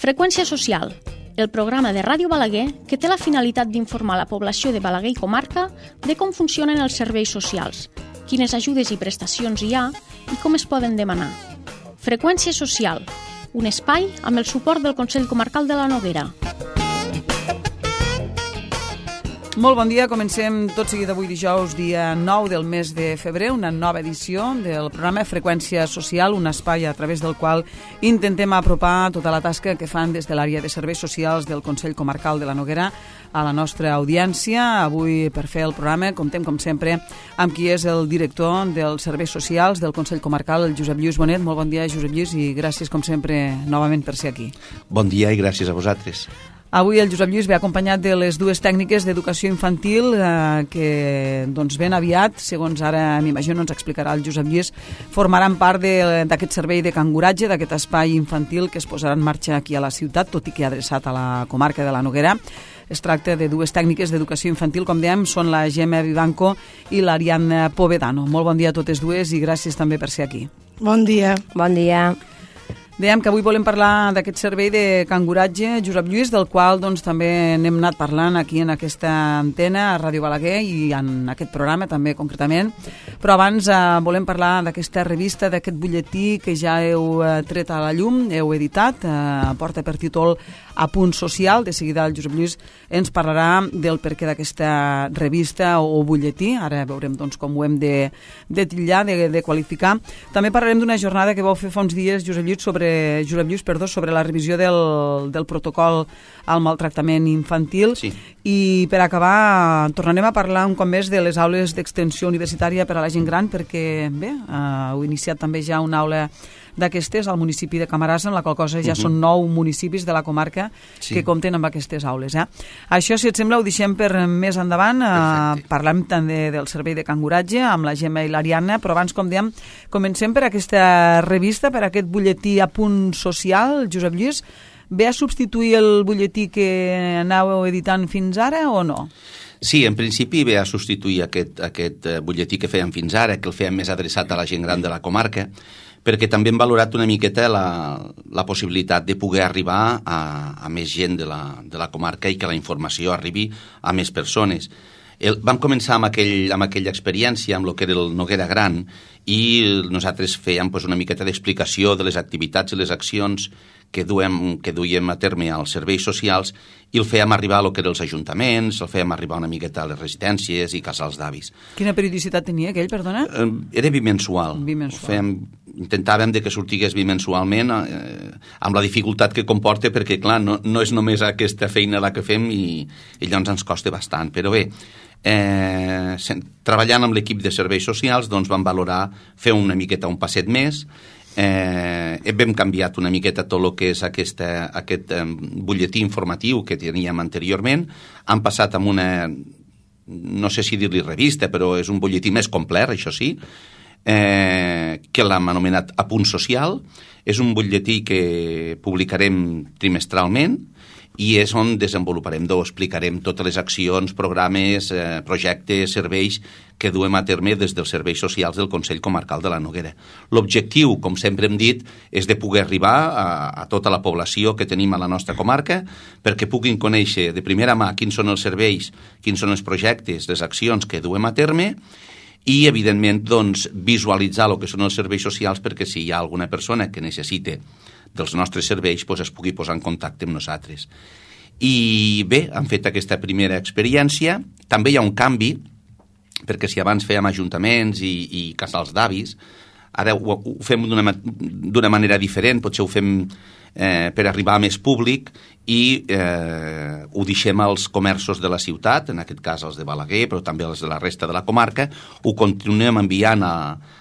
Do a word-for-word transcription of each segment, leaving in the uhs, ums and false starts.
Freqüència social, el programa de Ràdio Balaguer que té la finalitat d'informar la població de Balaguer i comarca de com funcionen els serveis socials, quines ajudes i prestacions hi ha i com es poden demanar. Freqüència social, un espai amb el suport del Consell Comarcal de la Noguera. Molt bon dia, comencem tot seguit avui dijous, dia nou del mes de febrer, una nova edició del programa Freqüència Social, un espai a través del qual intentem apropar tota la tasca que fan des de l'àrea de serveis socials del Consell Comarcal de la Noguera a la nostra audiència. Avui, per fer el programa, comptem, com sempre, amb qui és el director dels serveis socials del Consell Comarcal, el Josep Lluís Bonet. Molt bon dia, Josep Lluís, i gràcies, com sempre, novament per ser aquí. Bon dia i gràcies a vosaltres. Avui el Josep Lluís ve acompanyat de les dues tècniques d'educació infantil eh, que doncs, ben aviat, segons ara m'imagino ens explicarà el Josep Lluís, formaran part d'aquest servei de canguratge, d'aquest espai infantil que es posarà en marxa aquí a la ciutat, tot i que adreçat a la comarca de la Noguera. Es tracta de dues tècniques d'educació infantil, com dèiem, són la Gemma Vivanco i l'Ariadna Povedano. Molt bon dia a totes dues i gràcies també per ser aquí. Bon dia. Bon dia. Dèiem que avui volem parlar d'aquest servei de canguratge, Josep Lluís, del qual doncs, també n'hem anat parlant aquí en aquesta antena, a Ràdio Balaguer, i en aquest programa també concretament. Però abans eh, volem parlar d'aquesta revista, d'aquest butlletí que ja heu eh, tret a la llum, heu editat, eh, porta per títol A Punt Social. De seguida el Josep Lluís ens parlarà del perquè d'aquesta revista o, o butlletí. Ara veurem doncs, com ho hem de, de titllar, de, de qualificar. També parlarem d'una jornada que vau fer fa uns dies, Josep Lluís, sobre Josep Lluís, perdó, sobre la revisió del, del protocol al maltractament infantil. Sí. I per acabar tornarem a parlar un cop més de les aules d'extensió universitària per a la gent gran, perquè bé, eh, heu iniciat també ja una aula d'aquestes al municipi de Camarasa, en la qual cosa ja uh -huh. són nou municipis de la comarca sí. que compten amb aquestes aules. Eh? Això, si et sembla, ho deixem per més endavant. Eh, parlem també del servei de canguratge amb la Gemma i l'Ariadna, però abans, com dèiem, comencem per aquesta revista, per aquest butlletí A Punt Social. Josep Lluís, ve a substituir el butlletí que anàveu editant fins ara o no? Sí, en principi ve a substituir aquest, aquest butlletí que fèiem fins ara, que el fèiem més adreçat a la gent gran de la comarca, perquè també hem valorat una miqueta la, la possibilitat de poder arribar a, a més gent de la, de la comarca i que la informació arribi a més persones. El, vam començar amb, aquell, amb aquella experiència, amb el que era el Noguera Gran, i nosaltres fèiem pues, una miqueta d'explicació de les activitats i les accions que duem, que duiem a terme als serveis socials, i el fèiem arribar a lo que eren els ajuntaments, el fèiem arribar una miqueta a les residències i casals d'avis. Quina periodicitat tenia aquell, perdona? Eh, era bimensual. Bimensual. Fèiem, intentàvem de que sortigués bimensualment, eh, amb la dificultat que comporta, perquè, clar, no, no és només aquesta feina la que fem i, i llavors ens costa bastant. Però bé, eh, treballant amb l'equip de serveis socials, doncs vam valorar fer una miqueta un passet més. Eh, hem canviat una miqueta tot el que és aquesta, aquest eh, butlletí informatiu que teníem anteriorment. Han passat amb una, no sé si dir-li revista, però és un butlletí més complet, això sí, eh, que l'hem anomenat A Punt Social. És un butlletí que publicarem trimestralment i és on desenvoluparem, o explicarem totes les accions, programes, eh, projectes, serveis que duem a terme des dels serveis socials del Consell Comarcal de la Noguera. L'objectiu, com sempre hem dit, és de poder arribar a, a tota la població que tenim a la nostra comarca perquè puguin conèixer de primera mà quins són els serveis, quins són els projectes, les accions que duem a terme i, evidentment, doncs, visualitzar el que són els serveis socials perquè si hi ha alguna persona que necessite dels nostres serveis doncs es pugui posar en contacte amb nosaltres. I bé, han fet aquesta primera experiència. També hi ha un canvi, perquè si abans fèiem ajuntaments i, i casals d'avis, ara ho, ho fem d'una, d'una manera diferent, potser ho fem eh, per arribar a més públic i eh, ho deixem als comerços de la ciutat, en aquest cas els de Balaguer, però també els de la resta de la comarca, ho continuem enviant a,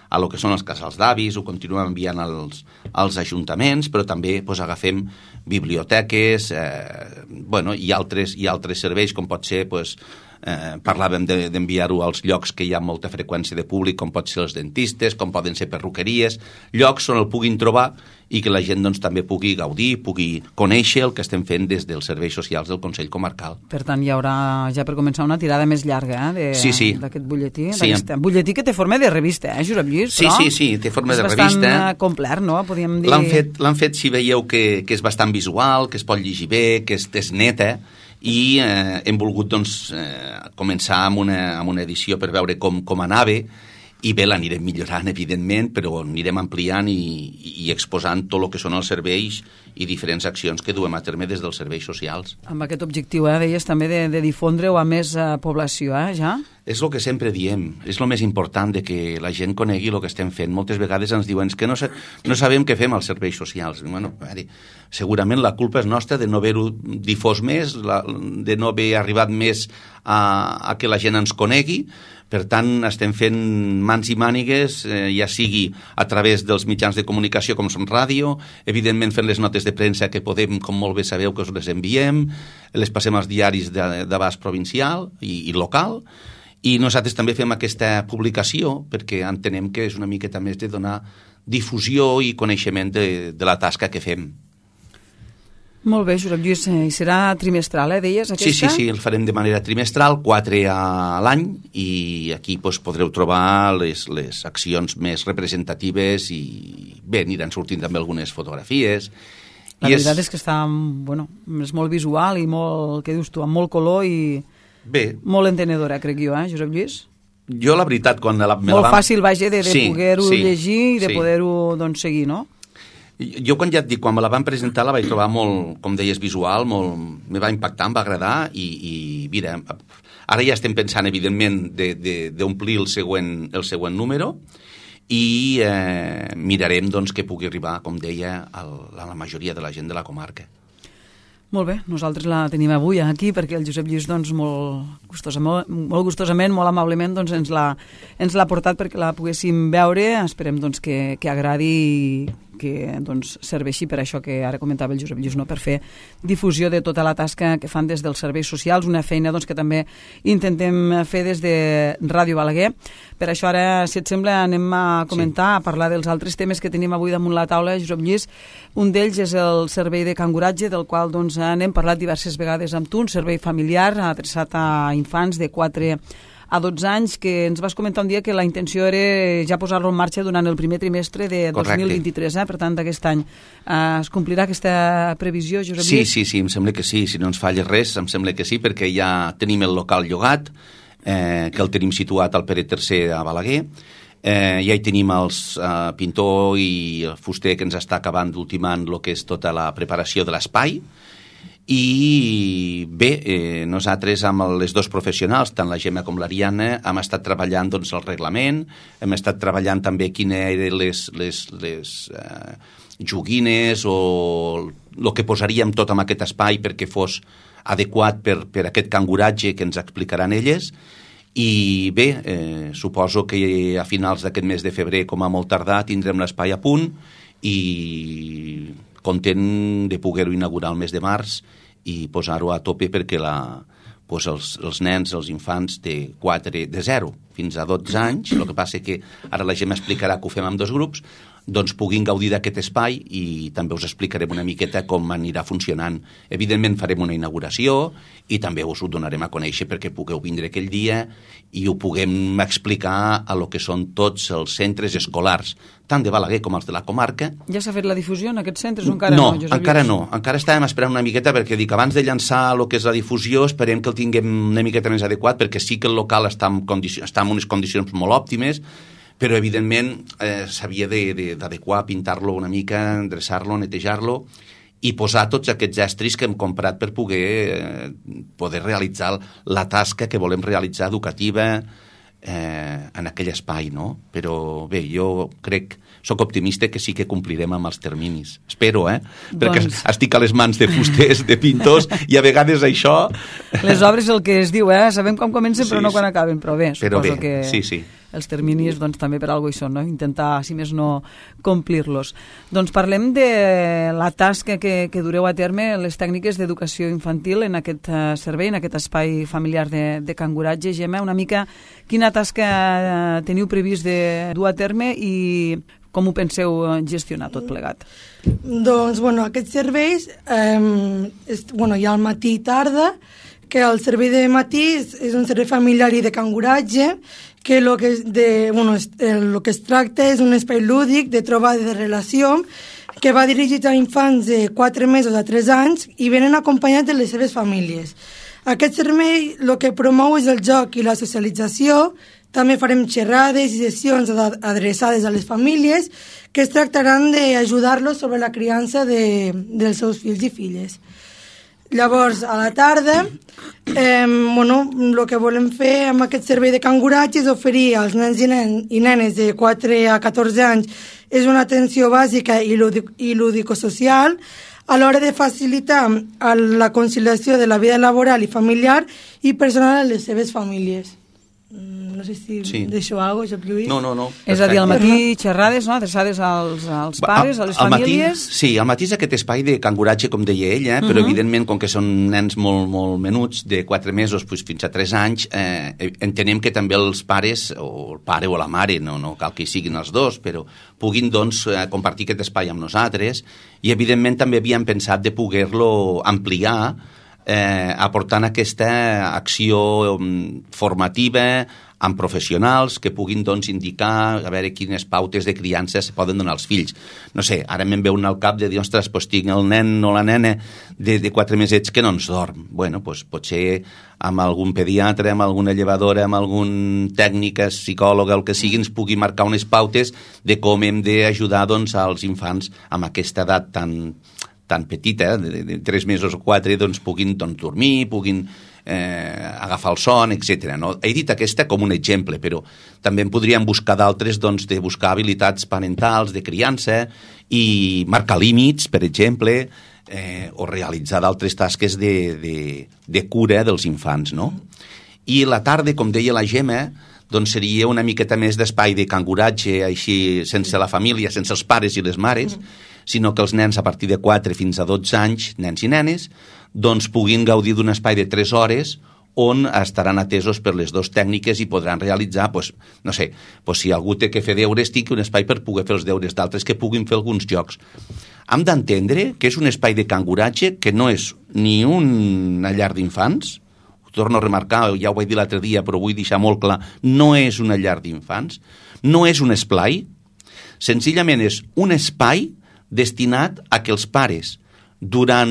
a lo que són els casals d'avis, ho continuem enviant als, als ajuntaments, però també pues, agafem biblioteques, eh, bueno, i altres, i altres serveis, com pot ser pues, Eh, parlàvem de, d'enviar-ho als llocs que hi ha molta freqüència de públic, com pot ser els dentistes, com poden ser perruqueries, llocs on el puguin trobar i que la gent doncs, també pugui gaudir, pugui conèixer el que estem fent des dels serveis socials del Consell Comarcal. Per tant, hi haurà ja per començar una tirada més llarga eh, de, sí, sí. d'aquest butlletí. Sí. Butlletí que té forma de revista, eh, Josep Lluís? Sí, sí, sí, té forma de revista. És bastant complet, no? Podríem dir... L'han fet, l'han fet, si veieu, que, que és bastant visual, que es pot llegir bé, que és, és neta, i eh, hem volgut doncs, eh, començar amb una, amb una edició per veure com, com anava, i bé, l'anirem millorant, evidentment, però anirem ampliant i, i exposant tot el que són els serveis i diferents accions que duem a terme des dels serveis socials. Amb aquest objectiu, eh, deies també de, de difondre-ho a més eh, població, eh, ja? És el que sempre diem, és el més important, de que la gent conegui el que estem fent. Moltes vegades ens diuen que no, sa no sabem què fem als serveis socials. Bueno, veure, segurament la culpa és nostra de no haver-ho difós més, la, de no haver arribat més a, a que la gent ens conegui. Per tant, estem fent mans i mànigues, eh, ja sigui a través dels mitjans de comunicació com són ràdio, evidentment fent les notes de premsa que podem, com molt bé sabeu, que us les enviem, les passem als diaris d'abast provincial i, i local, i nosaltres també fem aquesta publicació perquè entenem que és una miqueta més de donar difusió i coneixement de, de la tasca que fem. Molt bé, Josep Lluís, i serà trimestral, eh, deies, aquesta? Sí, sí, sí, el farem de manera trimestral, quatre a l'any, i aquí doncs, podreu trobar les, les accions més representatives i bé, aniran sortint també algunes fotografies. La I veritat és... és que està, bueno, és molt visual i molt, què dius tu, amb molt color i bé, molt entenedora, crec jo, eh, Josep Lluís? Jo, la veritat, quan... La, molt la vam... fàcil, vaja, de, de sí, poder-ho sí, llegir i de sí. poder-ho, doncs, seguir, no? Jo, quan ja et dic, quan me la van presentar, la vaig trobar molt, com deies, visual, molt, me va impactar, em va agradar, i, i mira, ara ja estem pensant, evidentment, d'omplir el, següent, el següent número, i eh, mirarem doncs, que pugui arribar, com deia, a la majoria de la gent de la comarca. Molt bé, nosaltres la tenim avui aquí perquè el Josep Lluís doncs, molt, gustosament, molt gustosament, molt amablement doncs, ens l'ha portat perquè la poguéssim veure. Esperem doncs, que, que agradi i que doncs, serveixi per això que ara comentava el Josep Lluís, no? Per fer difusió de tota la tasca que fan des dels serveis socials, una feina doncs, que també intentem fer des de Ràdio Balaguer. Per això ara, si et sembla, anem a comentar, sí. a parlar dels altres temes que tenim avui damunt la taula, Josep Lluís. Un d'ells és el servei de canguratge, del qual doncs, n'hem parlat diverses vegades amb tu, un servei familiar adreçat a infants de quatre a dotze anys, que ens vas comentar un dia que la intenció era ja posar-lo en marxa durant el primer trimestre de dos mil vint-i-tres, eh? Per tant, d'aquest any. Uh, es complirà aquesta previsió, Josep Sí, Lluís? sí, sí, em sembla que sí, si no ens falla res, em sembla que sí, perquè ja tenim el local llogat, eh, que el tenim situat al Pere tercer a Balaguer, eh, ja hi tenim els uh, pintor i el fuster que ens està acabant d'ultimant el que és tota la preparació de l'espai. I bé, eh, nosaltres amb les dos professionals, tant la Gemma com l'Ariana, hem estat treballant doncs, el reglament, hem estat treballant també quines eren les, les, les eh, joguines o el que posaríem tot en aquest espai perquè fos adequat per, per aquest canguratge que ens explicaran elles. I bé, eh, suposo que a finals d'aquest mes de febrer, com a molt tardar, tindrem l'espai a punt i content de poder-ho inaugurar el mes de març i posar-ho a tope perquè la, doncs els, els nens, els infants de, quatre, de zero fins a dotze anys, el que passa que ara la gent m'explicarà que ho fem amb dos grups, doncs puguin gaudir d'aquest espai i també us explicarem una miqueta com anirà funcionant. Evidentment farem una inauguració i també us ho donarem a conèixer perquè pugueu vindre aquell dia i ho puguem explicar a lo que són tots els centres escolars, tant de Balaguer com els de la comarca. Ja s'ha fet la difusió en aquests centres o encara no? No, Josep encara Lluís? No. Encara estàvem esperant una miqueta perquè dic, abans de llançar el que és la difusió esperem que el tinguem una miqueta més adequat perquè sí que el local està en, està en unes condicions molt òptimes, però evidentment eh, s'havia d'adequar, pintar-lo una mica, endreçar-lo, netejar-lo i posar tots aquests estris que hem comprat per poder, eh, poder realitzar la tasca que volem realitzar educativa eh, en aquell espai, no? Però bé, jo crec, sóc optimista que sí que complirem amb els terminis. Espero, eh? Perquè doncs... estic a les mans de fusters, de pintors, i a vegades això... Les obres el que es diu, eh? Sabem com comencen, però sí, no quan acaben, però bé, però suposo bé, que... sí, sí. els terminis doncs, també per alguna cosa hi són, no? Intentar, si més no, complir-los. Doncs parlem de la tasca que, que dureu a terme les tècniques d'educació infantil en aquest uh, servei, en aquest espai familiar de, de Can Guratge. Gemma, una mica quina tasca uh, teniu previst de dur a terme i com ho penseu gestionar tot plegat? Doncs, bueno, aquests serveis eh, és, bueno, hi ha el matí i tarda, que el servei de matí és, és un servei familiar i de Can Guratge, que el que, es de, bueno, es, el que es tracta és un espai lúdic de trobada de relació que va dirigit a infants de quatre mesos a tres anys i venen acompanyats de les seves famílies. Aquest servei el que promou és el joc i la socialització. També farem xerrades i sessions adreçades a les famílies que es tractaran d'ajudar-los sobre la criança de, dels seus fills i filles. Llavors, a la tarda, eh, bueno, el que volem fer amb aquest servei de Can Guratge és oferir als nens i, nen, i nenes de quatre a catorze anys és una atenció bàsica i, lúdic, i lúdico-social a l'hora de facilitar la conciliació de la vida laboral i familiar i personal a les seves famílies. No sé si sí. Deixo alguna cosa, Lluís. No, no, no. És a dir, al matí xerrades, no?, adreçades als, als pares, a les al famílies. Matí, sí, al matí és aquest espai de Can Guratge, com deia ell, eh? Però uh -huh. evidentment, com que són nens molt, molt menuts, de quatre mesos pues, fins a tres anys, eh, entenem que també els pares, o el pare o la mare, no, no cal que hi siguin els dos, però puguin doncs, compartir aquest espai amb nosaltres, i evidentment també havíem pensat de poder-lo ampliar, eh, aportant aquesta acció formativa amb professionals que puguin doncs, indicar a veure quines pautes de criança se poden donar als fills. No sé, ara me'n veu un al cap de dir, ostres, pues, tinc el nen o la nena de, de quatre mesets que no ens dorm. Bueno, pues, potser amb algun pediatre, amb alguna llevadora, amb algun tècnica, psicòloga, el que sigui, ens pugui marcar unes pautes de com hem d'ajudar doncs, als infants amb aquesta edat tan, tan petita, de, de tres mesos o quatre, doncs, puguin doncs, dormir, puguin eh, agafar el son, etcètera. No? He dit aquesta com un exemple, però també en podríem buscar d'altres, doncs, de buscar habilitats parentals, de criança, i marcar límits, per exemple, eh, o realitzar d'altres tasques de, de, de cura dels infants, no? I la tarda, com deia la Gemma, doncs seria una miqueta més d'espai de Can Guratge, així, sense la família, sense els pares i les mares, sinó que els nens a partir de quatre fins a dotze anys, nens i nenes, doncs puguin gaudir d'un espai de tres hores on estaran atesos per les dues tècniques i podran realitzar, pues, no sé, pues si algú té que fer deures, tingui un espai per poder fer els deures, d'altres que puguin fer alguns jocs. Hem d'entendre que és un espai de Can Guratge que no és ni una llar d'infants, ho torno a remarcar, ja ho vaig dir l'altre dia, però vull deixar molt clar, no és una llar d'infants, no és un esplai, senzillament és un espai destinat a que els pares, durant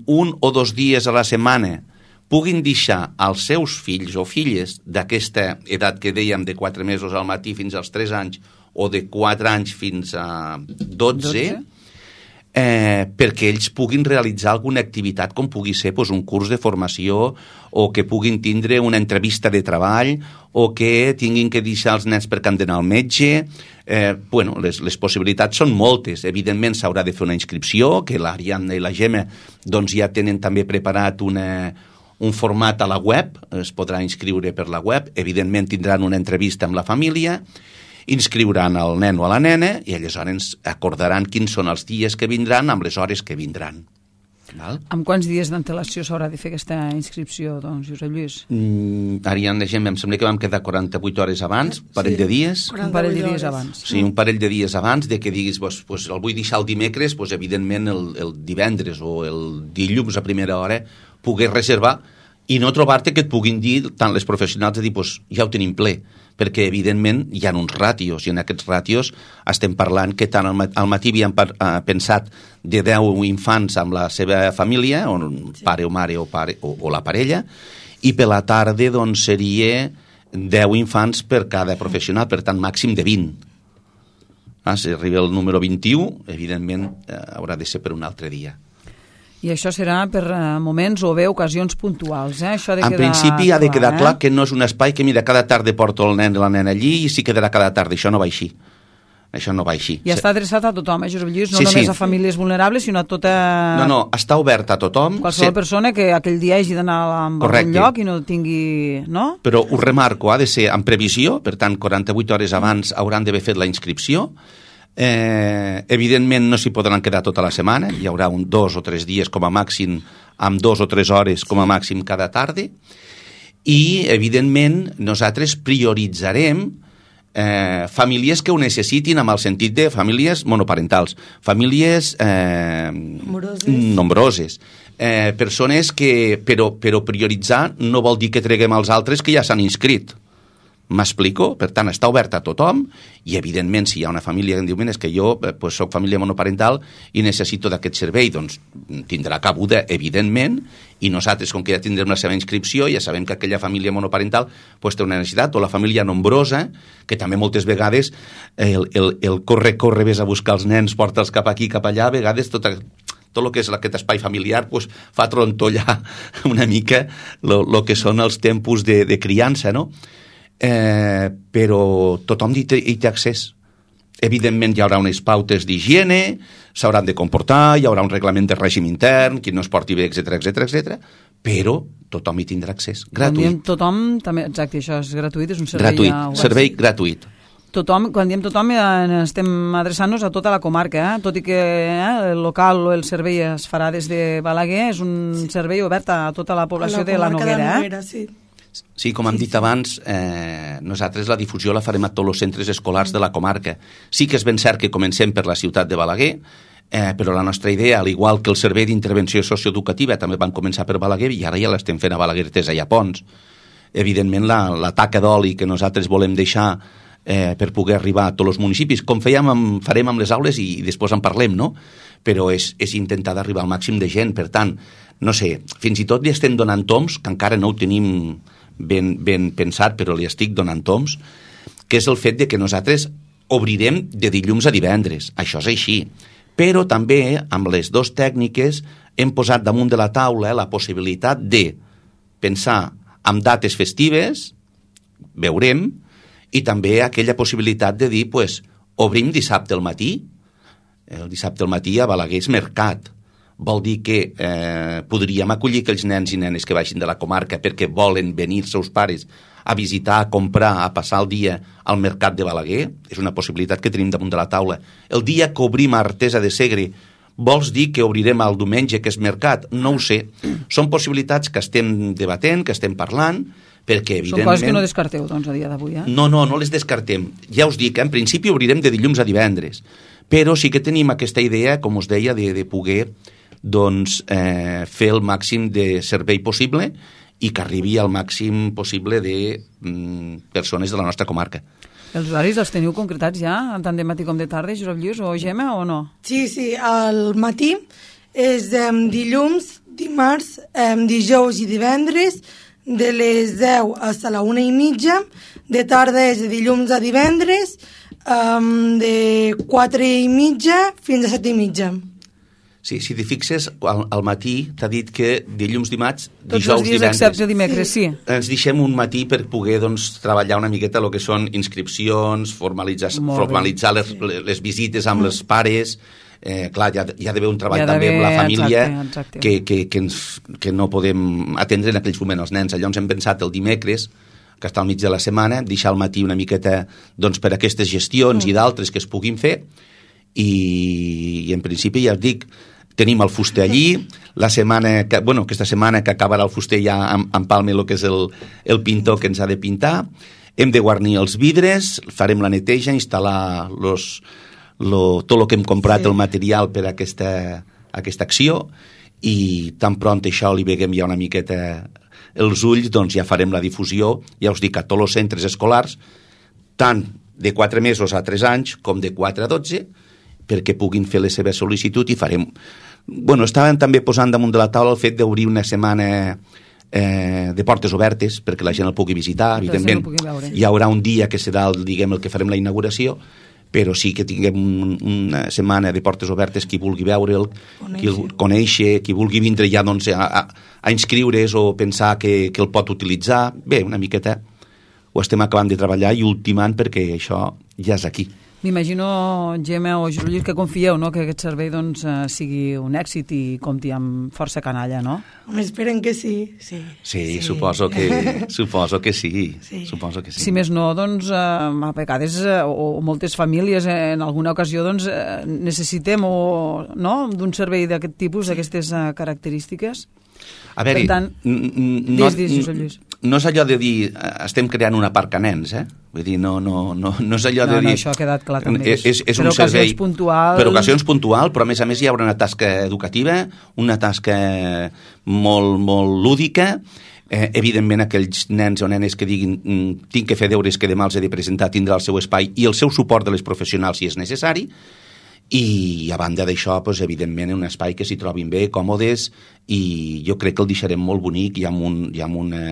un o dos dies a la setmana, puguin deixar als seus fills o filles d'aquesta edat que dèiem de quatre mesos al matí fins als tres anys o de quatre anys fins a dotze, eh, perquè ells puguin realitzar alguna activitat com pugui ser pues, un curs de formació o que puguin tindre una entrevista de treball o que tinguin que deixar els nens perquè han d'anar al metge. Eh, bueno, les, les possibilitats són moltes. Evidentment s'haurà de fer una inscripció, que l'Ariadna i la Gemma doncs, ja tenen també preparat una, un format a la web, es podrà inscriure per la web, evidentment tindran una entrevista amb la família, inscriuran el nen o a la nena i aleshores acordaran quins són els dies que vindran amb les hores que vindran. Val? Amb quants dies d'antelació s'haurà de fer aquesta inscripció, doncs, Josep Lluís? Mm, Ariadna, em sembla que vam quedar quaranta-vuit hores abans, un parell sí, de dies. Un parell de dies abans. Sí, un parell de dies abans de que diguis, pues, pues, el vull deixar el dimecres, pues, evidentment el, el divendres o el dilluns a primera hora pogués reservar i no trobar-te que et puguin dir, tant les professionals, de dir, pues, ja ho tenim ple, perquè evidentment hi ha uns ràtios i en aquests ràtios estem parlant que tant al matí havíem pensat de deu infants amb la seva família, o pare o mare o, pare, o, o la parella, i per la tarda doncs, seria deu infants per cada professional, per tant màxim de vint. Ah, si arriba el número vint-i-u, evidentment eh, haurà de ser per un altre dia. I això serà per moments o bé ocasions puntuals, eh? Això ha de en quedar principi clar, ha de quedar eh? clar que no és un espai que, mira, cada tarda porto el nen i la nena allí i s'hi quedarà cada tarda. Això no va així. Això no va així. I està adreçat a tothom, eh, Josep Lluís? No sí, només sí. a famílies vulnerables, sinó a tota... No, no, està obert a tothom. Qualsevol sí. persona que aquell dia hagi d'anar a algun lloc i no tingui... No? Però ho remarco, ha de ser en previsió, per tant, quaranta-vuit hores abans hauran d'haver fet la inscripció. Eh, evidentment no s'hi podran quedar tota la setmana, hi haurà un dos o tres dies com a màxim, amb dos o tres hores com a màxim cada tarda, i evidentment nosaltres prioritzarem Eh, famílies que ho necessitin amb el sentit de famílies monoparentals, famílies eh, nombroses, nombroses. Eh, persones que, però, però prioritzar no vol dir que treguem els altres que ja s'han inscrit. M'explico? Per tant, està obert a tothom i, evidentment, si hi ha una família que em diu, és que jo eh, pues, soc família monoparental i necessito d'aquest servei, doncs tindrà cabuda, evidentment, i nosaltres, com que ja tindrem la seva inscripció, ja sabem que aquella família monoparental pues, té una necessitat, o la família nombrosa, que també moltes vegades el, el, el corre-corre, ves a buscar els nens, porta'ls cap aquí, cap allà, a vegades tot, tot el que és aquest espai familiar pues, fa trontollar una mica el que són els tempos de, de criança, no? Eh, però tothom hi té, hi té accés. Evidentment hi haurà unes pautes d'higiene, s'hauran de comportar, hi haurà un reglament de règim intern, qui no es porti bé, etcètera, etcètera, etcètera, però tothom hi tindrà accés, gratuït. Quan diem tothom, també, exacte, això és gratuït, és un servei... Gratuït, a... servei gratuït. Tothom, quan diem tothom, eh, estem adreçant-nos a tota la comarca, eh? Tot i que eh, el local o el servei es farà des de Balaguer, és un sí. servei obert a tota la població la de la Noguera. De Noguera eh? sí. Sí, com hem dit abans, eh, nosaltres la difusió la farem a tots els centres escolars de la comarca. Sí que és ben cert que comencem per la ciutat de Balaguer, eh, però la nostra idea, al igual que el servei d'intervenció socioeducativa, també van començar per Balaguer i ara ja l'estem fent a Balaguer, Tesa i a Pons. Evidentment, la, la taca d'oli que nosaltres volem deixar eh, per poder arribar a tots els municipis, com fèiem amb, farem amb les aules i, i després en parlem, no? Però és, és intentar d'arribar al màxim de gent. Per tant, no sé, fins i tot li estem donant toms, que encara no ho tenim ben, ben pensat, però li estic donant toms, que és el fet de que nosaltres obrirem de dilluns a divendres. Això és així. Però també, amb les dues tècniques, hem posat damunt de la taula la possibilitat de pensar en dates festives, veurem, i també aquella possibilitat de dir, pues, obrim dissabte al matí. El dissabte al matí a Balaguer és mercat. Vol dir que eh, podríem acollir aquells nens i nenes que baixin de la comarca perquè volen venir seus pares a visitar, a comprar, a passar el dia al mercat de Balaguer. És una possibilitat que tenim damunt de la taula. El dia que obrim a Artesa de Segre, vols dir que obrirem el diumenge, que és mercat? No ho sé. Són possibilitats que estem debatent, que estem parlant, perquè evidentment... Són coses que no descarteu, doncs, a dia d'avui, eh? No, no, no les descartem. Ja us dic, en principi obrirem de dilluns a divendres, però sí que tenim aquesta idea, com us deia, de, de poder doncs, eh, fer el màxim de servei possible i que arribi al màxim possible de mm, persones de la nostra comarca. Els horaris els teniu concretats ja, tant de matí com de tarda, Josep Lluís, o Gemma, o no? Sí, sí, al matí és eh, dilluns, dimarts, eh, dijous i divendres, de les deu fins a la una i mitja, de tarda és de dilluns a divendres, eh, de quatre i mitja fins a set i mitja. Sí, si t'hi fixes, al, al matí t'ha dit que dilluns, dimarts, Tots dijous, els dies divendres... excepte dimecres, sí. sí. Ens deixem un matí per poder doncs, treballar una miqueta el que són inscripcions, formalitzar, formalitzar les, les visites amb mm. els pares... Eh, clar, hi ha, hi ha d'haver un treball també amb la família, exacte, exacte. Que, que, que, ens, que no podem atendre en aquells moments els nens. Llavors hem pensat el dimecres, que està al mig de la setmana, deixar al matí una miqueta doncs, per aquestes gestions mm. i d'altres que es puguin fer, i, i en principi ja us dic, tenim el fuster allí, la setmana que, bueno, aquesta setmana que acabarà el fuster ja empalme el que és el, el pintor que ens ha de pintar, hem de guarnir els vidres, farem la neteja, instal·lar los, lo, tot el que hem comprat, sí. el material per a aquesta, aquesta acció, i tan pront això li veguem ja una miqueta els ulls, doncs ja farem la difusió, ja us dic, a tots els centres escolars, tant de quatre mesos a tres anys com de quatre a dotze, perquè puguin fer la seva sol·licitud i farem... Bueno, estàvem també posant damunt de la taula el fet d'obrir una setmana eh, de portes obertes perquè la gent el pugui visitar, evidentment. Hi haurà un dia que serà el, diguem, el que farem la inauguració, però sí que tinguem un, una setmana de portes obertes, qui vulgui veure'l, qui el conèixer, qui vulgui vindre ja doncs, a, a, a inscriure's o pensar que, que el pot utilitzar. Bé, una miqueta ho estem acabant de treballar i ultimant perquè això ja és aquí. M'imagino, Gemma o Juli, que confieu, no?, que aquest servei doncs, eh, sigui un èxit i compti amb força canalla, no? Home, esperen que sí, sí. Sí, sí. Suposo que, suposo que sí, sí. Suposo que sí. Si més no, doncs, eh, a vegades, eh, o, o moltes famílies, eh, en alguna ocasió, doncs, eh, necessitem o, no?, d'un servei d'aquest tipus, d'aquestes eh, característiques. A veure, per tant, no, dis, dis, Josep Lluís. No és allò de dir estem creant una aparcaments, eh? Vull dir, no, no, no, no és allò no, de dir... No, això ha quedat clar també. És, és, és per un ocasions servei, puntuals... Per ocasions puntual, però a més a més hi haurà una tasca educativa, una tasca molt, molt lúdica. Eh, evidentment, aquells nens o nenes que diguin tinc que fer deures que demà els he de presentar, tindrà el seu espai i el seu suport de les professionals si és necessari. I a banda d'això, doncs, evidentment, un espai que s'hi trobin bé, còmodes, i jo crec que el deixarem molt bonic i amb un... I amb una,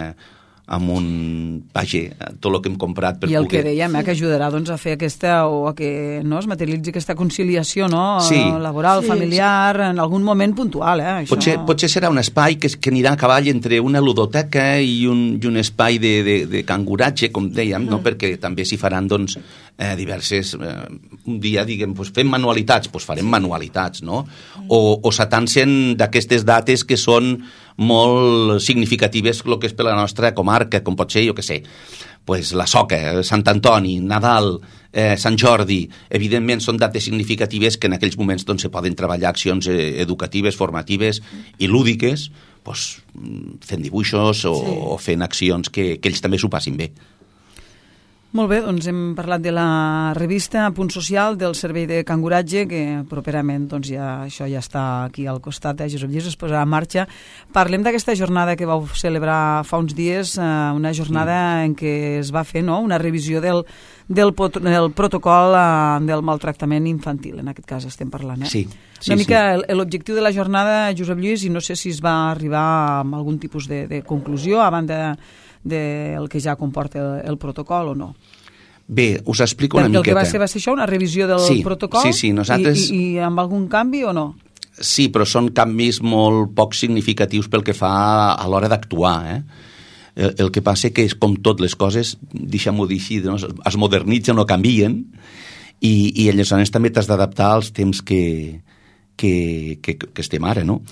amb un, vaja, tot el que hem comprat per I el poder... que dèiem, eh, que ajudarà doncs, a fer aquesta, o a que no, es materialitzi aquesta conciliació, no?, sí. laboral, sí, familiar, en algun moment puntual, eh? Això... Potser, potser serà un espai que, que anirà a cavall entre una ludoteca i un, i un espai de, de, de canguratge, com dèiem, mm. no? Perquè també s'hi faran doncs, eh, diverses... Eh, un dia, diguem, pues, fem manualitats, doncs farem sí. manualitats, no? O, o s'atancen d'aquestes dates que són molt significatives el que és per la nostra comarca, com pot ser, jo què sé, pues la Soca, Sant Antoni, Nadal, eh, Sant Jordi, evidentment són dates significatives que en aquells moments doncs, se poden treballar accions eh, educatives, formatives i lúdiques, pues, fent dibuixos o, sí. o fent accions que, que ells també s'ho passin bé. Molt bé, doncs hem parlat de la revista Punt Social del Servei de Canguratge, que properament doncs, ja, això ja està aquí al costat, eh, Josep Lluís, es posarà en marxa. Parlem d'aquesta jornada que vau celebrar fa uns dies, eh, una jornada mm. en què es va fer, no?, una revisió del, del, pot, del protocol eh, del maltractament infantil, en aquest cas estem parlant. Eh? Sí, sí, una mica sí. l'objectiu de la jornada, Josep Lluís, i no sé si es va arribar a algun tipus de, de conclusió a banda del que ja comporta el, el protocol o no. Bé, us explico una Perquè miqueta. El que va ser va ser això, una revisió del sí, protocol? Sí, sí, nosaltres... I, i, I amb algun canvi o no? Sí, però són canvis molt poc significatius pel que fa a l'hora d'actuar, eh? El, el que passa que és com tot les coses, deixem-ho dir així, no? Es modernitzen o canvien i, i aleshores també t'has d'adaptar als temps que, que, que, que estem ara, no?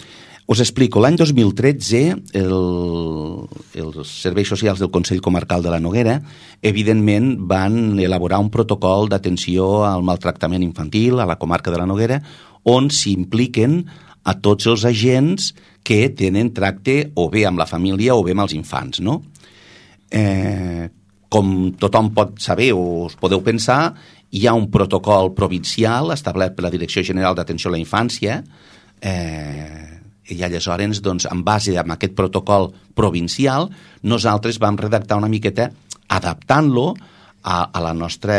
Us explico, l'any dos mil tretze el, els serveis socials del Consell Comarcal de la Noguera evidentment van elaborar un protocol d'atenció al maltractament infantil a la comarca de la Noguera on s'impliquen a tots els agents que tenen tracte o bé amb la família o bé amb els infants, no? Eh, com tothom pot saber o us podeu pensar, hi ha un protocol provincial establert per la Direcció General d'Atenció a la Infància eh, i aleshores, doncs, en base a aquest protocol provincial, nosaltres vam redactar una miqueta adaptant-lo a, a la nostra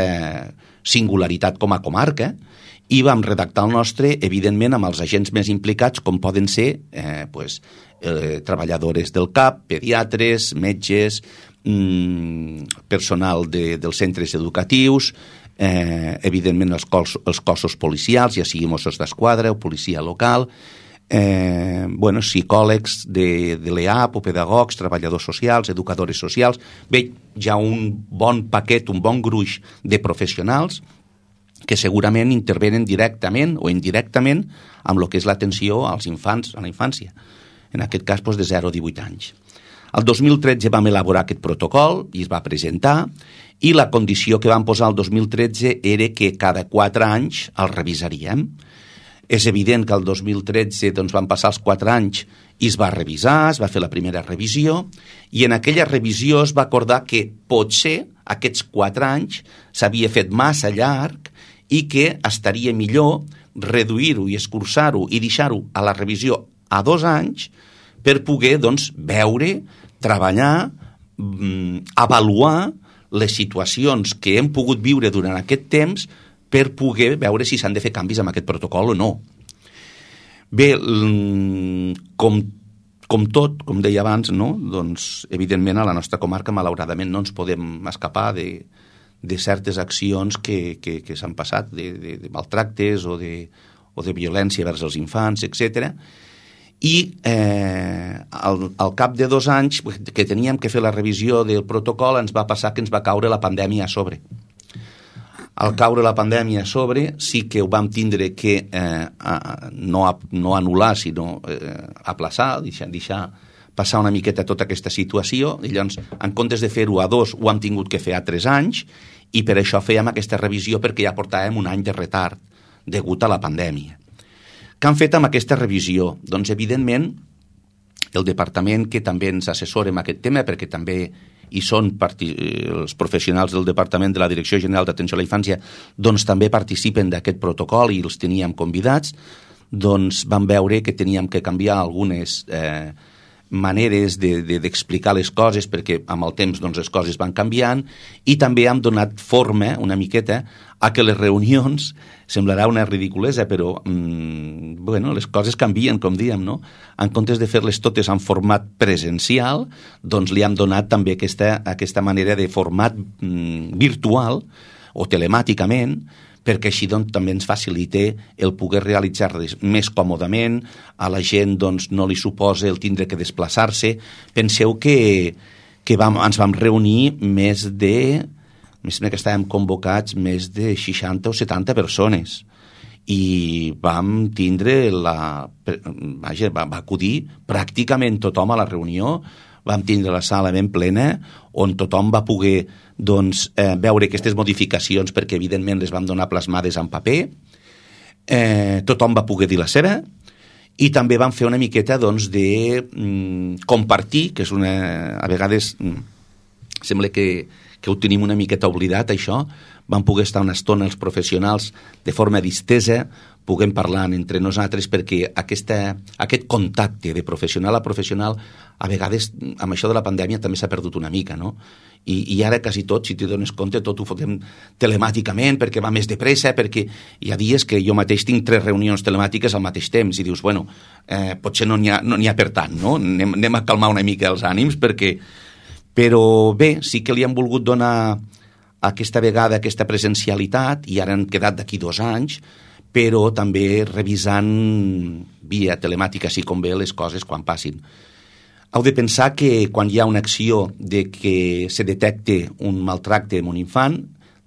singularitat com a comarca i vam redactar el nostre, evidentment, amb els agents més implicats, com poden ser eh, pues, eh, treballadores del C A P, pediatres, metges, mmm, personal de, dels centres educatius, eh, evidentment els, cos, els cossos policials, ja sigui Mossos d'Esquadra o policia local, Eh, bueno, psicòlegs de, de l'E A P o pedagogs, treballadors socials, educadores socials. Bé, hi ha un bon paquet, un bon gruix de professionals que segurament intervenen directament o indirectament amb el que és l'atenció als infants, a la infància. En aquest cas, doncs, de zero a divuit anys. El dos mil tretze vam elaborar aquest protocol i es va presentar i la condició que vam posar el dos mil tretze era que cada quatre anys el revisaríem. És evident que el dos mil tretze doncs, van passar els quatre anys i es va revisar, es va fer la primera revisió i en aquella revisió es va acordar que potser aquests quatre anys s'havia fet massa llarg i que estaria millor reduir-ho i escurçar-ho i deixar-ho a la revisió a dos anys per poder doncs, veure, treballar, avaluar les situacions que hem pogut viure durant aquest temps per poder veure si s'han de fer canvis amb aquest protocol o no. Bé, com, com tot, com deia abans, no? Doncs, evidentment, a la nostra comarca, malauradament, no ens podem escapar de, de certes accions que, que, que s'han passat, de, de, de maltractes o de, o de violència vers els infants, etcètera. I eh, al, al cap de dos anys que teníem que fer la revisió del protocol ens va passar que ens va caure la pandèmia a sobre. al caure la pandèmia a sobre, sí que ho vam tindre que eh, a, no, a, no anul·lar, sinó eh, aplaçar, deixar, deixar passar una miqueta tota aquesta situació, i llavors, en comptes de fer-ho a dos, ho hem tingut que fer a tres anys, i per això fèiem aquesta revisió, perquè ja portàvem un any de retard, degut a la pandèmia. Què han fet amb aquesta revisió? Doncs, evidentment, el departament que també ens assessora en aquest tema, perquè també hi són els professionals del departament de la Direcció General d'Atenció a la Infància, doncs també participen d'aquest protocol i els teníem convidats, doncs vam veure que teníem que canviar algunes eh, maneres d'explicar de, de, les coses, perquè amb el temps doncs, les coses van canviant, i també hem donat forma una miqueta a que les reunions, semblarà una ridiculesa, però mmm, bueno, les coses canvien, com diem, no? En comptes de fer-les totes en format presencial, doncs li hem donat també aquesta, aquesta manera de format mmm, virtual o telemàticament, perquè així doncs, també ens facilita el poder realitzar-les més còmodament, a la gent doncs, no li suposa el tindre que desplaçar-se. Penseu que, que vam, ens vam reunir més de, més que estàvem convocats, més de seixanta o setanta persones, i vam tindre la... Vaja, va, va acudir pràcticament tothom a la reunió, vam tindre la sala ben plena, on tothom va poder doncs, eh, veure aquestes modificacions, perquè evidentment les vam donar plasmades en paper, eh, tothom va poder dir la seva, i també vam fer una miqueta doncs, de mm, compartir, que és una... a vegades mm, sembla que, que ho tenim una miqueta oblidat, això. Vam poder estar una estona els professionals de forma distesa, puguem parlar entre nosaltres, perquè aquesta, aquest contacte de professional a professional, a vegades, amb això de la pandèmia, també s'ha perdut una mica, no? I, i ara quasi tot, si t'hi dones compte, tot ho fotem telemàticament, perquè va més de pressa, perquè hi ha dies que jo mateix tinc tres reunions telemàtiques al mateix temps, i dius, bueno, eh, potser no n'hi ha, no n'hi ha per tant, no? Anem, anem a calmar una mica els ànims, perquè... Però bé, sí que li han volgut donar aquesta vegada aquesta presencialitat, i ara han quedat d'aquí dos anys, però també revisant via telemàtica, així com bé, les coses quan passin. Heu de pensar que quan hi ha una acció de que se detecte un maltracte en un infant,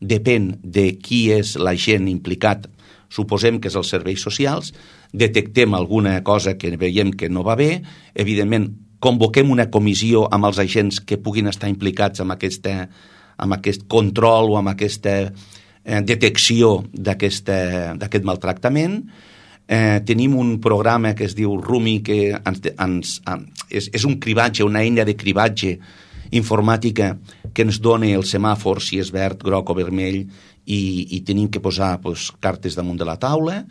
depèn de qui és l'agent implicat, suposem que és els serveis socials, detectem alguna cosa que veiem que no va bé, evidentment convoquem una comissió amb els agents que puguin estar implicats en, aquesta, en aquest control o amb aquesta eh, detecció d'aquest maltractament. Eh, tenim un programa que es diu Rumi, que ens, ens, és, és un cribatge, una eina de cribatge informàtica que ens dona el semàfor, si és verd, groc o vermell, i, i tenim que posar pues, cartes damunt de la taula,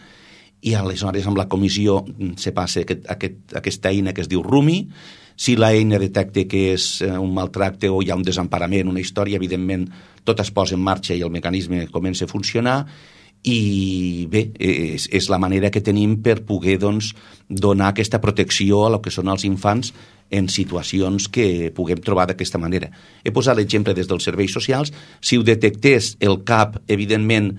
i aleshores amb la comissió se passa aquest, aquest, aquesta eina que es diu Rumi. Si l'eina detecta que és un maltracte o hi ha un desemparament, una història, evidentment tot es posa en marxa i el mecanisme comença a funcionar, i bé, és, és la manera que tenim per poder doncs, donar aquesta protecció a lo que són els infants en situacions que puguem trobar d'aquesta manera. He posat l'exemple des dels serveis socials. Si ho detectés el C A P, evidentment,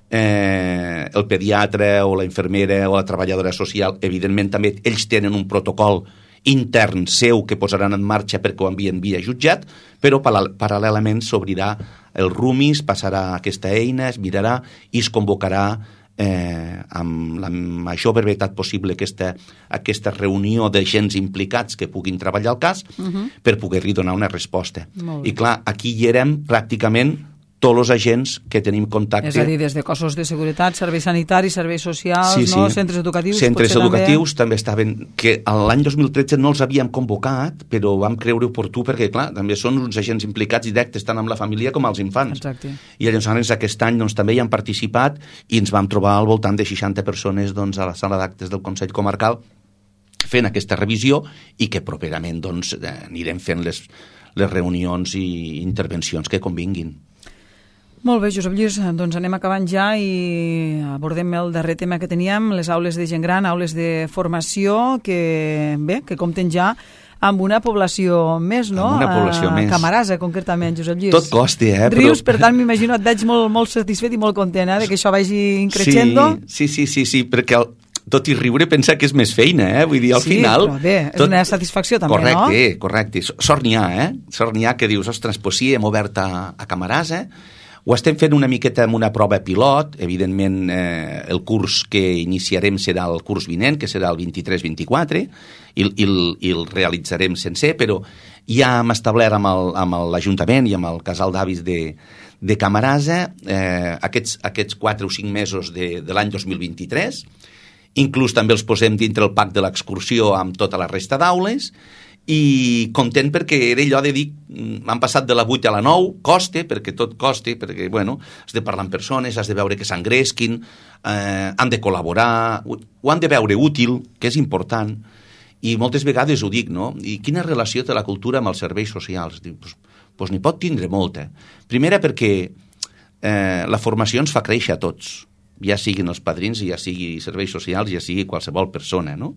eh, el pediatre o la infermera o la treballadora social, evidentment també ells tenen un protocol intern seu que posaran en marxa perquè ho envien via jutjat, però paral·lelament s'obrirà el Rumi, es passarà aquesta eina, es mirarà i es convocarà eh, amb la major brevetat possible aquesta, aquesta reunió d'agents implicats que puguin treballar el cas uh-huh. per poder-li donar una resposta. I clar, aquí hi érem pràcticament tots els agents que tenim contacte. És a dir, des de cossos de seguretat, serveis sanitaris, serveis socials, sí, sí. No? Centres educatius... Centres educatius també... també estaven... Que l'any dos mil tretze no els havíem convocat, però vam creure oportú perquè, clar, també són uns agents implicats directes tant amb la família com els infants. Exacte. I llavors aquest any doncs, també hi han participat i ens vam trobar al voltant de seixanta persones doncs, a la sala d'actes del Consell Comarcal fent aquesta revisió i que properament doncs, anirem fent les, les reunions i intervencions que convinguin. Molt bé, Josep Lluís, doncs anem acabant ja i abordem el darrer tema que teníem, les aules de gent gran, aules de formació, que bé, que compten ja amb una població més, no? Amb una població a més. Camarasa, concretament, Josep Lluís. Tot costi, eh? Rius, però... per tant, m'imagino, et veig molt, molt satisfet i molt content, eh, de que això vagi increixendo. Sí, sí, sí, sí, perquè el, tot i riure pensa que és més feina, eh? Vull dir, al sí, final... Sí, però bé, és tot... una satisfacció també, correcte, no? Correcte, correcte. Sort n'hi ha, eh? Sort n'hi ha que dius, ostres, doncs sí, hem obert a, a Camarasa, ho Ho estem fent una miqueta amb una prova pilot, evidentment eh, el curs que iniciarem serà el curs vinent, que serà el vint-i-tres vint-i-quatre, i, i, i el realitzarem sencer, però ja hem establert amb, el, amb l'Ajuntament i amb el casal d'avis de, de Camarasa eh, aquests, aquests quatre o cinc mesos de, de l'any dos mil vint-i-tres, inclús també els posem dintre el pack de l'excursió amb tota la resta d'aules, i content perquè era allò de dir han passat de la vuit a la nou, coste, perquè tot coste, perquè bueno, has de parlar amb persones, has de veure que s'engresquin, eh, han de col·laborar, ho, ho han de veure útil, que és important, i moltes vegades ho dic, no? I quina relació té la cultura amb els serveis socials? Dic, pues, pues n'hi pot tindre molta. Primera perquè eh, la formació ens fa créixer a tots, ja siguin els padrins, ja sigui serveis socials, ja sigui qualsevol persona, no?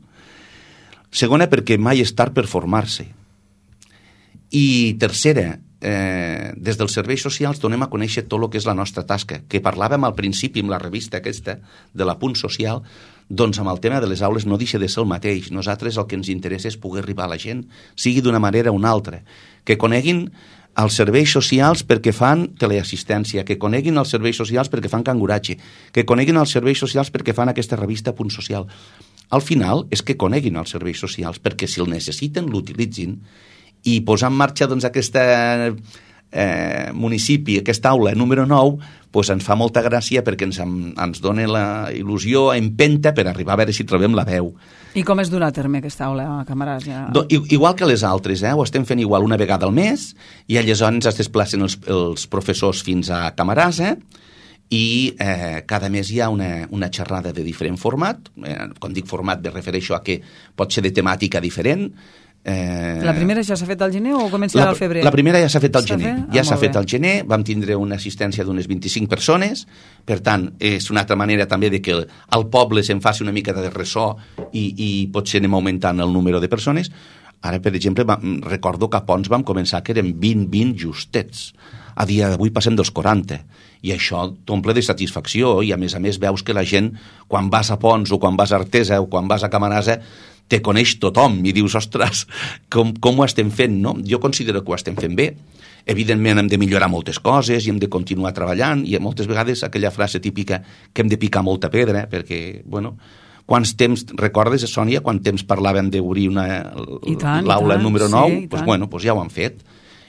Segona, perquè mai és tard per formar-se. I tercera, eh, des dels serveis socials donem a conèixer tot el que és la nostra tasca, que parlàvem al principi amb la revista aquesta de l'Apunt Social, doncs amb el tema de les aules no deixa de ser el mateix. Nosaltres el que ens interessa és poder arribar a la gent, sigui d'una manera o una altra, que coneguin els serveis socials perquè fan teleassistència, que coneguin els serveis socials perquè fan canguratge, que coneguin els serveis socials perquè fan aquesta revista Punt Social. Al final és que coneguin els serveis socials perquè si el necessiten l'utilitzin i posar en marxa doncs, aquesta eh, municipi, aquesta aula número nou, doncs ens fa molta gràcia perquè ens, ens dona la il·lusió, empenta per arribar a veure si trobem la veu. I com es durà a terme aquesta aula a Camarasa? Do, igual que les altres, eh? Ho estem fent igual una vegada al mes i aleshores es desplacen els, els professors fins a Camarasa i eh, cada mes hi ha una, una xerrada de diferent format. Eh, quan dic format me refereixo a que pot ser de temàtica diferent. Eh, la primera ja s'ha fet al gener o començarà al febrer? La primera ja s'ha fet al gener. Fet? Ja ah, s'ha fet al gener, vam tindre una assistència d'unes vint-i-cinc persones, per tant, és una altra manera també de que al poble se'n faci una mica de ressò i, i potser anem augmentant el número de persones. Ara, per exemple, vam, recordo que a Pons vam començar que eren vint vint justets. A dia d'avui passem dels quaranta. I això t'omple de satisfacció i a més a més veus que la gent, quan vas a Pons o quan vas a Artesa o quan vas a Camarasa, te coneix tothom i dius, ostres, com, com ho estem fent, no? Jo considero que ho estem fent bé. Evidentment hem de millorar moltes coses i hem de continuar treballant i moltes vegades aquella frase típica que hem de picar molta pedra perquè, bueno, quants temps, recordes, Sònia, quant temps parlàvem d'obrir l'aula número nou? Sí, pues, bueno, pues ja ho han fet.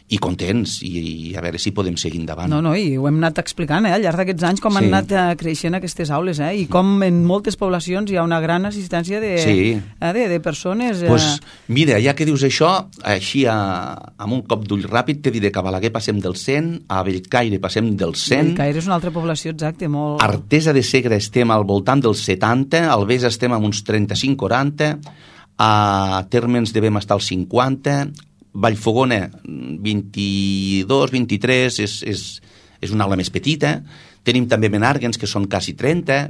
I contents, i, i a veure si podem seguir endavant. No, no, i ho hem anat explicant, eh, al llarg d'aquests anys, com sí. han anat uh, creixent aquestes aules, eh, i com en moltes poblacions hi ha una gran assistència de, sí. eh, de, de persones. Eh... Pues, mira, ja que dius això, així a, amb un cop d'ull ràpid te diré que a Balaguer passem del cent, a Bellcaire passem del cent. Bellcaire és una altra població, exacte, molt... Artesa de Segre estem al voltant dels setanta, al Bes estem amb uns trenta-cinc quaranta, a Térmens devem estar als cinquanta, Vallfogona vint-i-dos, vint-i-tres, és, és, és una aula més petita. Tenim també Menàrguens, que són quasi trenta,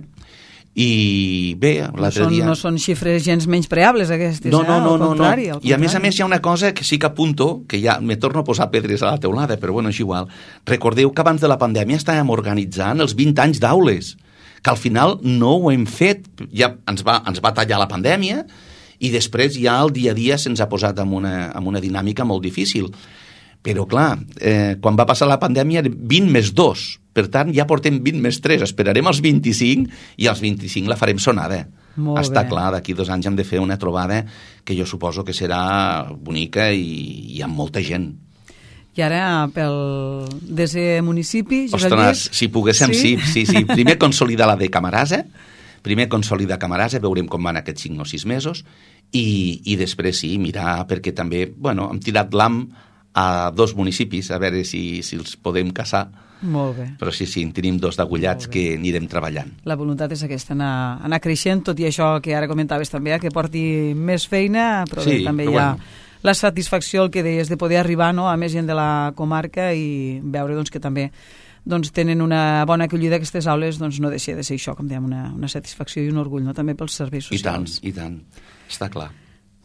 i bé, l'altre no dia... No són xifres gens menyspreables, aquestes, no, no, eh? no, al no, contrari, no. al I a més a més hi ha una cosa que sí que apunto, que ja me torno a posar pedres a la teulada, però bueno, és igual. Recordeu que abans de la pandèmia estàvem organitzant els vint anys d'aules, que al final no ho hem fet, ja ens va, ens va tallar la pandèmia, i després ja el dia a dia se'ns ha posat en una, en una dinàmica molt difícil. Però clar, eh, quan va passar la pandèmia vint més dos, per tant ja portem vint més tres, esperarem els vint-i-cinc i els vint-i-cinc la farem sonada. Molt Està bé. clar, d'aquí dos anys hem de fer una trobada que jo suposo que serà bonica i, i amb molta gent. I ara, pel desè municipi... Ostres, si poguéssim, sí, sí, sí, sí. Primer consolidar la de Camarasa, primer consolidar Camarasa, veurem com van aquests cinc o sis mesos, i, i després sí, mirar, perquè també, bueno, hem tirat l'am a dos municipis, a veure si, si els podem casar. Molt bé. Però sí, sí, en tenim dos d'agullats que anirem treballant. La voluntat és aquesta, anar, anar creixent, tot i això que ara comentaves també, que porti més feina, però sí, bé, també però hi ha bueno. la satisfacció, el que deies, de poder arribar, no?, a més gent de la comarca i veure doncs, que també doncs, tenen una bona acollida aquestes aules, doncs no deixa de ser això, com dèiem, una, una satisfacció i un orgull, no?, també pels serveis socials. I tant, i tant, està clar.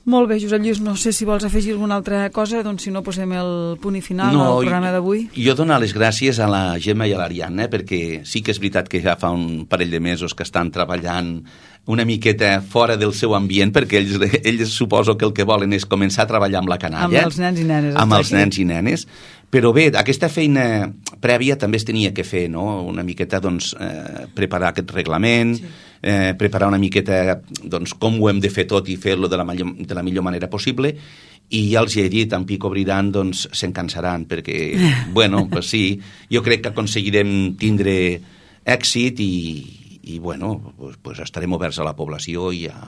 Molt bé, Josep Lluís, no sé si vols afegir alguna altra cosa, doncs si no posem el punt i final no, al programa d'avui. Jo donar les gràcies a la Gemma i a l'Ariadna, perquè sí que és veritat que ja fa un parell de mesos que estan treballant una miqueta fora del seu ambient, perquè ells, ells suposo que el que volen és començar a treballar amb la canalla. Amb els nens i nenes. Amb els nens i nenes. Però bé, aquesta feina prèvia també es tenia que fer, no? Una miqueta, doncs, eh, preparar aquest reglament, sí. eh, preparar una miqueta, doncs, com ho hem de fer tot i fer-lo de la millor, de la millor manera possible, i ja els he dit, en pic obriran, doncs, se'n cansaran, perquè, bueno, pues sí, jo crec que aconseguirem tindre èxit i, i bueno, pues, pues estarem oberts a la població i a...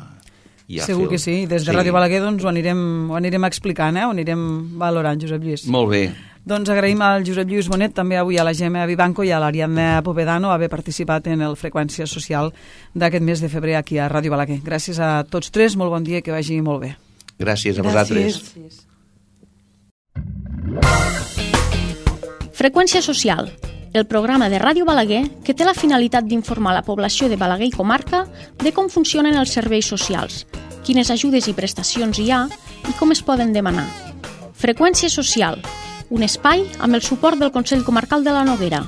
Ja Segur que sí, des de sí. Ràdio Balaguer doncs, ho, anirem, ho anirem explicant, eh? Ho anirem valorant, Josep Lluís. Molt bé. Doncs agraïm al Josep Lluís Bonet, també avui a la Gemma Vivanco i a l'Ariadna Povedano haver participat en el Freqüència Social d'aquest mes de febrer aquí a Ràdio Balaguer. Gràcies a tots tres, molt bon dia i que vagi molt bé. Gràcies a vosaltres. Gràcies. Freqüència Social, el programa de Ràdio Balaguer que té la finalitat d'informar la població de Balaguer i comarca de com funcionen els serveis socials, quines ajudes i prestacions hi ha i com es poden demanar. Freqüència Social, un espai amb el suport del Consell Comarcal de la Noguera.